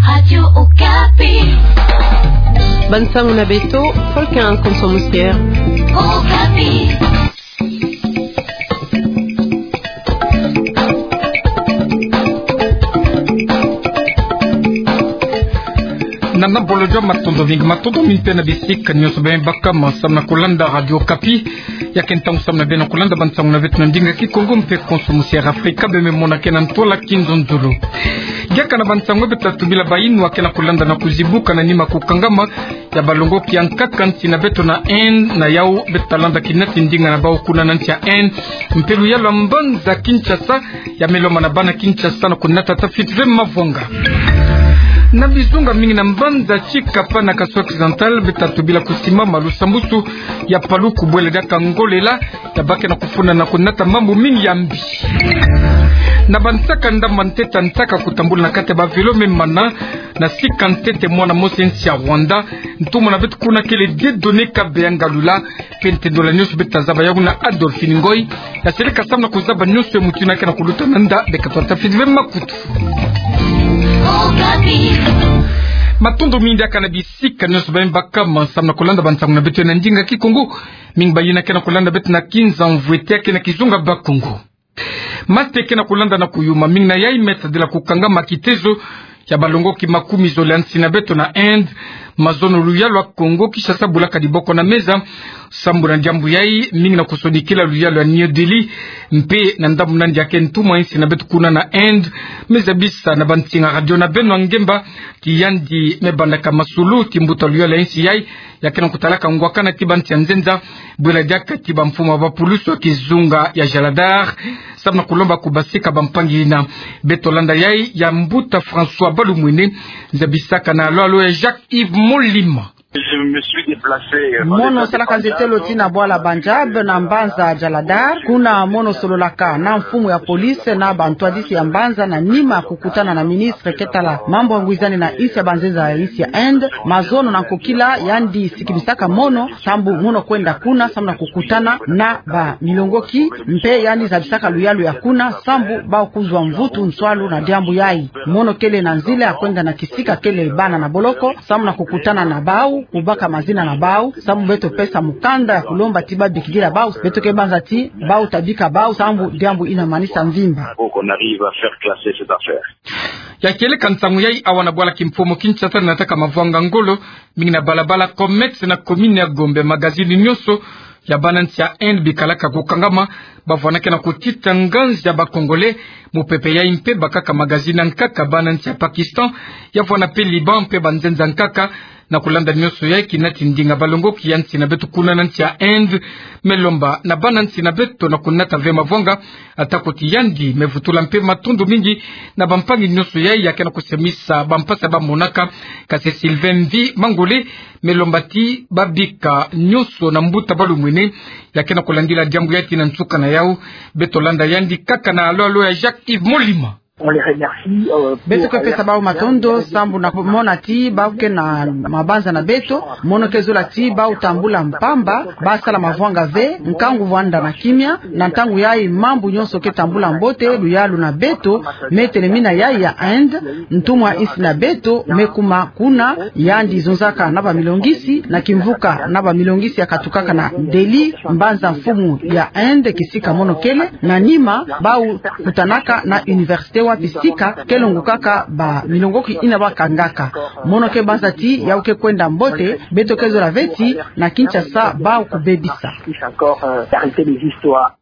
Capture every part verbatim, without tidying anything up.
Radio Okapi. Bansango na beto, Volcan Konso Musier. Okapi. Na nabolojo, matondo mingi, matondo mingi mpe na bisika nyonso bami baka ma samu na kulanda Radio Okapi. Ya ke ntangu samu na beno kulanda bansango na beto na ndinga Kikongo mpe Konso Musier Afrika, beme mona ke na ntwala kinzonzolo. Diaka na bansango beto ta tubila bayi nua ke na kulanda na kuzibuka na nima kukangama ya balongoki ya nkaka nsi na beto na Inde, na yau beto ta landa kina ti ndinga na bau kuna na nsi ya Inde, mpe luyalu ya mbanza Kinshasa, ya me lomba na bana Kinshasa na kunata tafiti ve mavwanga. Na bizunga mingi na mbanza Tshikapa na Kasai Occidental, beto ta tubila kusimama lusambusu ya paluku bwela diaka ngolela, ya bake na kufunda na kunata mambu mingi ya mbi. Na bansaka ndambu ntete ntaka kutambula na kati ya ba vélo me mana, na sika ntete mwana mosi nsi ya Rwanda, ntumwa na beto kuna kele Dieudonné Kabeya Ngalula, mpe ntendolo nyonso beto ta zaba yawu na Adolphine Ngoy, ya seleka samu na kuzaba nyonso ya mutu ina ke na kuluta na nda, beka twa tafiti ve makutu. Matondo mingi diaka na bisika nyonso bami baka ma samu na kulanda bansango na beto na ndinga Kikongo, mingi bayi ina ke na kulanda beto na kinza mvwete ya ke na kizunga Bakongo. Mate ke na kulanda na kuyuma, mingi na yayi me tadila kukangama kitezo ya balongoki makumi zole ya nsi na beto na Inde, mazono luyalu ya Kongo Kinshasa bulaka diboko na meza, sambu na diambu yayi, mingi na kusonikila luyalu ya New Delhi, mpe na ndambu nandi ya ke ntumwa nsi na beto kuna na Inde, me zabisa na bansinga radio na beno ngemba, ti yandi me bandaka masulu ti mbuta luyalu ya nsi yayi, ya ke na kutalaka ngwakana ti bansi ya nzenza, bwela diaka ti bamfumu ya bapulusu ya kizunga ya Jaladhar, samu na kulomba kubasika bampangi ina. Beto landa yayi ya mbuta François Balumwene, zabisaka na alo alo ya Jacques Yves Molima. Je me suis déplacé, euh, dans le Mono salaka nzetelo tina bwala Punjab na mbanza Jaladhar, kuna mono sololaka na mfumu ya police na bantwadisi ya mbanza na nima kukutana na ministre ke tala mambu ya ngwizani na nsi ya banzenza ya nsi ya Inde, mazono na nkokila yandi sikimisaka mono, sambu mono kwenda kuna, samu na kukutana na bamilongoki, mpe yandi zabisaka luyalu ya kuna, sambu bau kuzwa mvutu nswalu na diambu yayi. Mono kele na nzila ya kwenda na kisika kele bana na boloko, samu na kukutana na bau, kubaka mazina na bau, sambu beto pesa mukanda ya kulomba ti babikidila bau, beto ke banza ti bau ta bika bau, sambu diambu ina manisa mvimba. Faut qu'on arrive à faire classer cette affaire. Ya kieleka nsangu yayi awa na bwala kimfumu Kinshasa, nataka mavwanga ngolo mingi na balabala Commerce na commune ya Gombe, magazini nyonso ya bana nsi ya Inde bikalaka kukangama, bavwanaka na kutita nganzi ya ba Congolais. Mupepe yayi mpe bakaka magazini ya nkaka bana nsi ya Pakistan, ya vwana mpe Liban mpe banzenza nkaka. Na kulanda nyonso yayi, kina ti ndinga balongoki ya nsi na beto kuna na nsi ya Inde me lomba na bana nsi na beto na kunata ve mavwanga, atako ti yandi me vutula mpe matondo mingi na bampangi nyonso yayi ya ke na kusemisa bampasi bamonaka. Kasi Sylvain Mvi Mangole me lomba ti babika nyonso na mbuta Balumwene ya ke na kulandila diambu yayi ti na nsuka na yau. Beto landa yandi kaka na alo alo ya Jacques Yves Molima. On les remercie, euh, pour... Beto ke pesa bau matondo sambu na mona ti bau ke na mabanza na beto, mono ke zola ti bau tambula mpamba, basala mavwanga ve, nkangu vwanda na kimia, na ntangu yayi mambu nyonso ke tambula mbote, luyalu na beto me telemina yayi ya Inde, ntumwa nsi na beto me kuma kuna, yandi zonzaka na bamilongisi, na kimvuka na bamilongisi ya katukaka na Delhi, mbanza mfumu ya Inde, kisika mono kele, na nima bau kutanaka na université wapi sika ke longukaka bamilongoki ina bakangaka. Mono ke banza ti yau ke kwenda mbote, beto ke zola ve ti na Kinshasa bau kubebisa. Encore, euh, d'arrêter les histoires.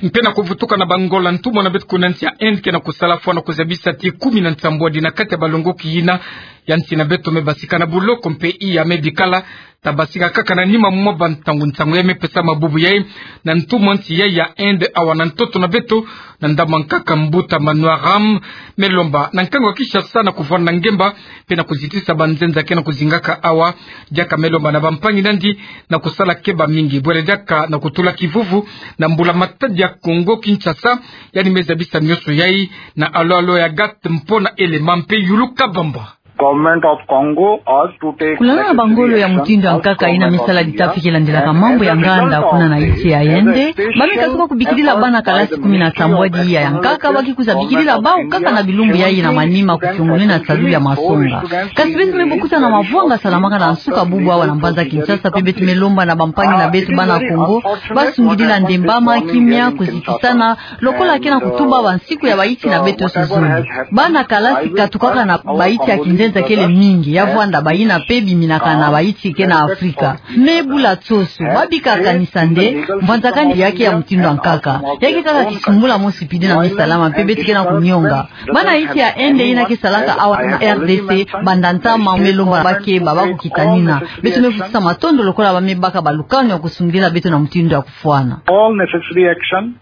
Mpe na kuvutuka na bangolo, ntumwa na beto kuna nsi ya Inde ke na kusala fwa na kuzabisa ti kumi na nsambwadi na kati ya balongoki ina ya nsi na beto me basika na buloko mpe iya me bikala ta basika kaka na nima mwa bantangu. Nsangu yayi me pesama bubu yayi na ntumwa nsi yayi ya Inde awa na ntoto na beto, na ndambu ya nkaka mbuta Manohar Ram, me lomba na nkangu ya Kinshasa na kuvwanda ngemba mpe na kuzitisa banzenza ke na kuzingaka awa. Diaka me lomba na bampangi nandi na kusala keba mingi, bwela diaka na kutula kivuvu na mbula matadi ya Kongo Kinshasa, yandi me zabisa nyonso yayi na alo alo ya Agathe Mpona Elema mpe Yulu Kabamba. Government of Congo also to take Kulala na bangolo ya mutindu ya nkaka ina mi sala ditafikila ndilaka mambu ya nganda kuna na insi ya Inde, ba mi katuka kubikilila bana kalasi kumi na sambwadi ya nkaka ba kikuza bikilila bau kaka na bilumbu yayi na manima kukiongolina salu ya masonga. Kasi beto me bukuta na mavwanga salamaka na nsuka bubu awa na mbanza Kinshasa, pe beto me lomba na bampangi na beto bana Kongo ba sungidila ndembama, kimia, kozikisana, lokola ke na kutuba bansiku ya baiti na beto nyonso. Bana kalasi katukaka na baiti ya kinzenza kele mingi, ya vwanda bayina pe biminaka na baiti ke na Afrika. Me bula soso, ba bika kanisa nde mvanzakani ya ke ya mutindu ya nkaka ya ke kaka kisumbula mosi pidi na mi salama, pe beto ke na kunionga. Bana insi ya Inde ina ke salaka awa na R D C, banda ntama me lomba ba ke ba ba kukitanina. Beto me vutisa matondo lokola ba me baka balukanu ya kusungidila beto na mutindu ya kufwana. All necessary action.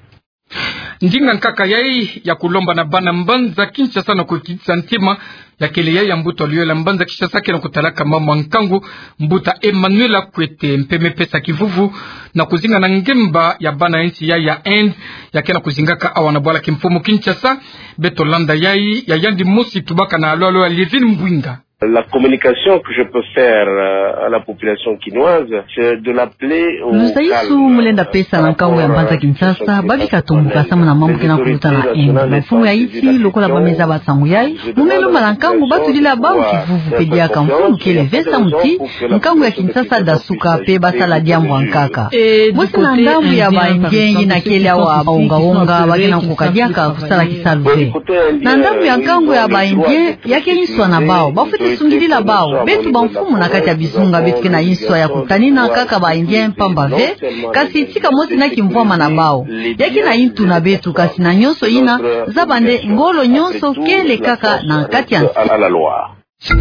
Ndinga nkaka yayi ya kulomba na bana mbanza Kinshasa na kukitisa ntima ya kele yayi ya mbuta luyala mbanza Kinshasa ke na kutalaka mama nkangu, mbuta Emmanuel Akwete, mpe me pesa kivuvu na kuzinga na ngemba ya bana insi yayi ya Inde ya ke na kuzingaka awa na bwala kimfumu Kinshasa. Beto landa yayi ya yandi mosi tubaka na alolo ya Lievine Mbwinga. La communication que je peux faire, euh, à la population kinoise, c'est de l'appeler au calme. Luzaisu mu lenda pesa na nkangu ya mbanza Kinshasa, ba bika tombuka samu na mambu ke na kuluta na Inde. Mfumu ya insi, lokola ba me zaba nsangu yayi, mu me lomba na nkangu ba tulila bau kivuvu pe diaka mfumu kele ve samu ti nkangu ya Kinshasa dasuka pe ba sala diambu ya nkaka. Mosi na ndambu ya ba Indien ina kele awa onga-onga ba ke na kukadiaka kusala kisalu ve. Na ndambu ya nkangu ya ba Indien, ya ke inswa na bau, ba fwete sungidila bau. Beto bamfumu na kati ya bizunga beto ke na inswa ya kutanina kaka ba Indien mpamba ve, kasi tika mosi na kimvwama na bau. Ya ke na intu na beto, kasi na nyonso ina, zaba nde ngolo nyonso kele kaka na kati ya nsi.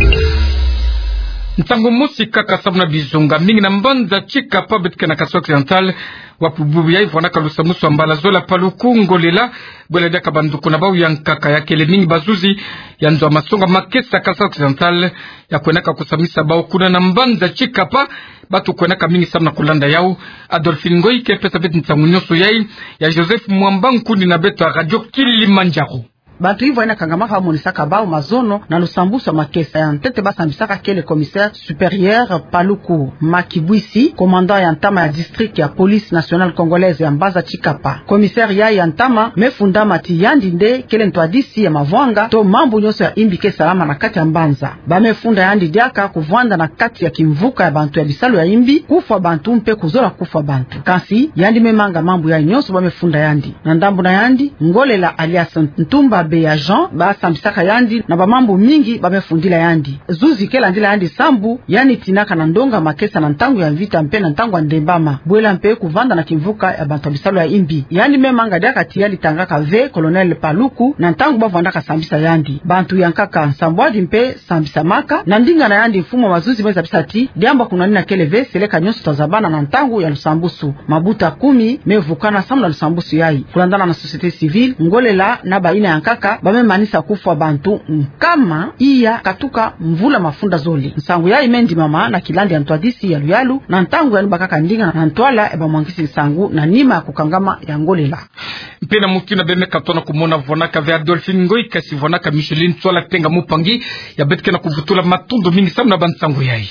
Nsangu mosi kaka samu na bizunga mingi na mbanza Tshikapa beto ke na Kasaï Occidental, wapi bubu yayi vwanaka lusambusu ya mbala zole ya paluku, ngolela, bwela diaka banduku na bau ya nkaka ya kele mingi bazuzi ya nzo ya masonga makesa Kasaï Occidental, ya kwenaka kusambisa bau kuna na mbanza Tshikapa. Batu kwenaka mingi samu na kulanda yau. Adolphine Ngoyi ke pesa beto nsangu nyonso yayi, ya Joseph Mwamba, nkundi na beto ya Radio Kilimanjaro. Bantu yivwa ina kangamaka ba monisaka bau mazono na lusambusu ya makesa ya ntete ba sambisaka kele commissaire supérieur Paluku Makibwisi, commandant ya ntama ya district ya Police Nationale Congolaise ya mbanza Tshikapa. Commissaire yayi ya ntama me fundama ti yandi nde kele ntwadisi ya mavwanga to mambu nyonso ya imbi ke salama na kati ya mbanza. Ba me funda yandi diaka kuvwanda na kati ya kimvuka ya bantu ya bisalu ya imbi, kufwa bantu mpe kuzola kufwa bantu. Kasi yandi me manga mambu yayi nyonso ba me funda yandi. Na ndambu na yandi, Ngolela alias Ntumba Beya Jean, ba sambisaka yandi na bamambu mingi ba me fundila yandi. Zuzi ke landila yandi sambu, yandi tinaka na ndonga makesa na ntangu ya mvita mpe na ntangu ya ndembama. Bwela mpe kuvanda na kimvuka ya bantu ya bisalu ya imbi. Yandi me manga diaka ti yandi tangaka ve Colonel Paluku na ntangu ba vandaka sambisa yandi. Bantu ya nkaka nsambwadi mpe sambisamaka. Na ndinga na yandi, mfumu ya mazuzi me zabisa ti diambu ya kunwanina kele ve, seleka nyonso ta zabana na ntangu ya lusambusu. Mabuta kumi me vukana samu na lusambusu yayi. Kulandana na société civile, Ngolela na bayina ya nkaka ba me manisa kufwa bantu nkama iya katuka mvula mafunda zole. Nsangu yayi me ndimama na kilandi ya ntwadisi ya luyalu, na ntangu yandi bakaka ndinga na ntwala ya bamwangisi nsangu na nima ya kukangama ya Ngolela. Mpe na mutu ina beno me katona kumona, vwanaka ve Adolphine Ngoyi, kasi vwanaka Micheline Tswala Tenga Mupangi, ya beto ke na kuvutula matondo mingi samu na bansangu yayi.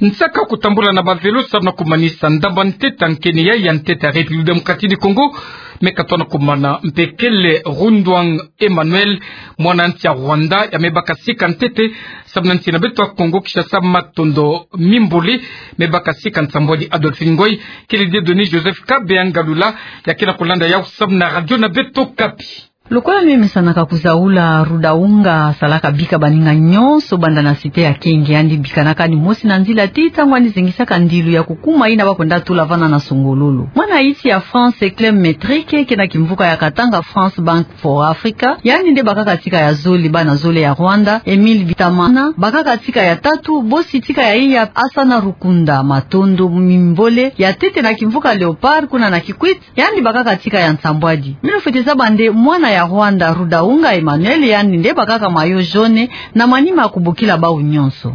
Nsaka kutambula na bavelo samu na kumanisa ndambu ya ntete ya nkeni yayi ya ntete ya République Démocratique du Congo, me katona kumana mpe kele Rundwang Emmanuel, mwana nsi ya Rwanda, ya me baka sika ntete samu na nsi na beto ya Congo Kinshasa. Matondo mimbole. Me baka sika nsambwadi Adolphine Ngoyi, kele Dieudonné Joseph Kabeya Ngalula, ya ke na kulanda yau samu na radio na beto Okapi. Lokola me mesanaka kuzaula, Rudaunga asalaka bika baninga nyonso banda na site ya Kenge. Yandi bikanaka yandi mosi na nzila ti ntangu yandi zengisaka ndilu ya kukuma ina ba kwenda tula vana na songololo. Mwana insi ya France, Clem Metrick, ke na kimvuka ya Katanga France Bank for Africa, yandi nde bakaka sika ya zole, bana zole ya Rwanda, Emile Bitamana bakaka sika ya tatu, bosi sika ya iya Asana Rukunda. Matondo mimbole. Ya ntete na kimvuka Léopard kuna na Kikwit, yandi bakaka sika ya nsambwadi. Beno fwete zaba nde mwana ya Rwanda Rudaunga Emmanuel, yandi nde bakaka maillot jaune na manima ya kubokila bau nyonso.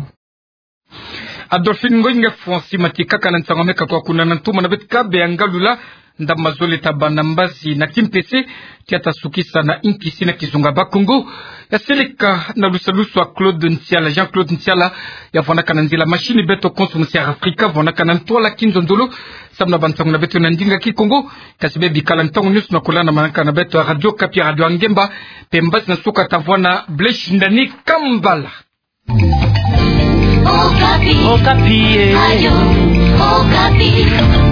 Adolphine Ngoyi, nge Francis Matikaka na nsangu me kakwa kuna na ntuma na beto Kabeya Ngalula. Ndam mazola tabana mbazi na kimpese, tia tasukisa na nkisi na kizunga ba Kongo. Ya seleka na lusalusu a Claude Nsiala, Jean-Claude Nsiala, ya fwanakana nzila machine beto konso Musi'Afrika, fwanakana ntwala kinzonzolo, samu na bantangu na beto na ndinga Kikongo, kasi bebikala ntangu nyonso na kulana manaka na beto a Radio Okapi, Radio Ngemba, mpe mbazi na suka tavwana, Blaise Shindani Kambala. Okapi. Okapi, eh. Radio Okapi.